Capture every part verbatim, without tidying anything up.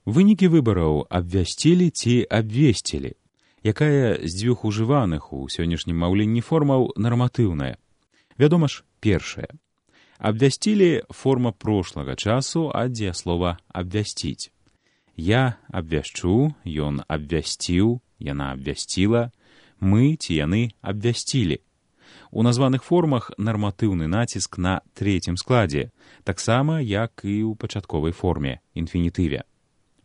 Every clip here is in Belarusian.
Вынікі выбараў абвясцілі ці абвесцілі. Якая з дзвюх ужываных у сённяшнім маўленні формаў нарматыўная? Вядома ж, першая. Абвясцілі форма прошлага часу ад дзеяслова абвясціць. Я абвяшчу, ён абвясціў, яна абвясціла, мы ці яны абвясцілі. У названых формах нарматыўны націск на трэцім складзе, таксама як і ў пачатковай форме, інфінітыве.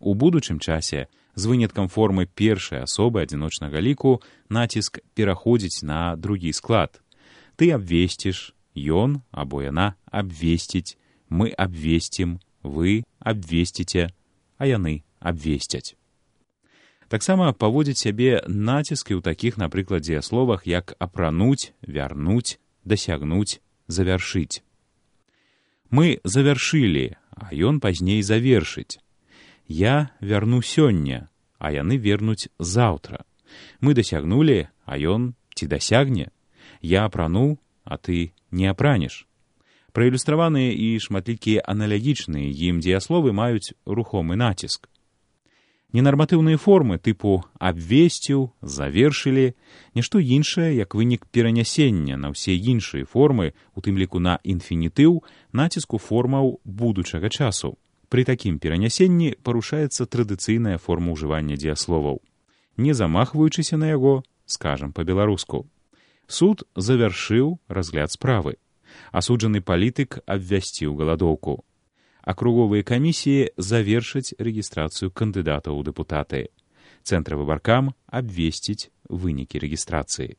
У будучым часе, з выняткам формы першай асобы адзіночнага ліку, націск пераходзіць на другі склад. Ты абвесціш, ён або яна абвесціць, мы абвесцім, вы абвесціце, а яны абвесцяць. Таксама паводзіць сябе націскі ў такіх, напрыклад, дзеясловах, як апрануць, вярнуць, дасягнуць, завяршыць. Мы завяршылі, а ён пазней завершыць. Я вярну сёння, а яны вернуць заўтра. Мы дасягнулі, а ён ці дасягне. Я апрануў, а ты не апранеш. Праілюстраваныя і шматлікія аналагічныя ім дзеясловы маюць рухомы націск. Ненарматыўныя формы тыпу абвесціў, завершылі, нішто іншае, як вынік перанясення на ўсе іншыя формы, у тым ліку на інфінітыў, націску формаў будучага часу. Пры такім перанясенні парушаецца традыцыйная форма ўжывання дзеясловаў. Не замахваючыся на яго, скажам па-беларуску. Суд завяршыў разгляд справы. Асуджаны палітык абвясціў галадоўку. Акруговыя камісіі завершаць рэгістрацыю кандыдатаў у дэпутаты. Цэнтравы баркам абвесціць вынікі рэгістрацыі.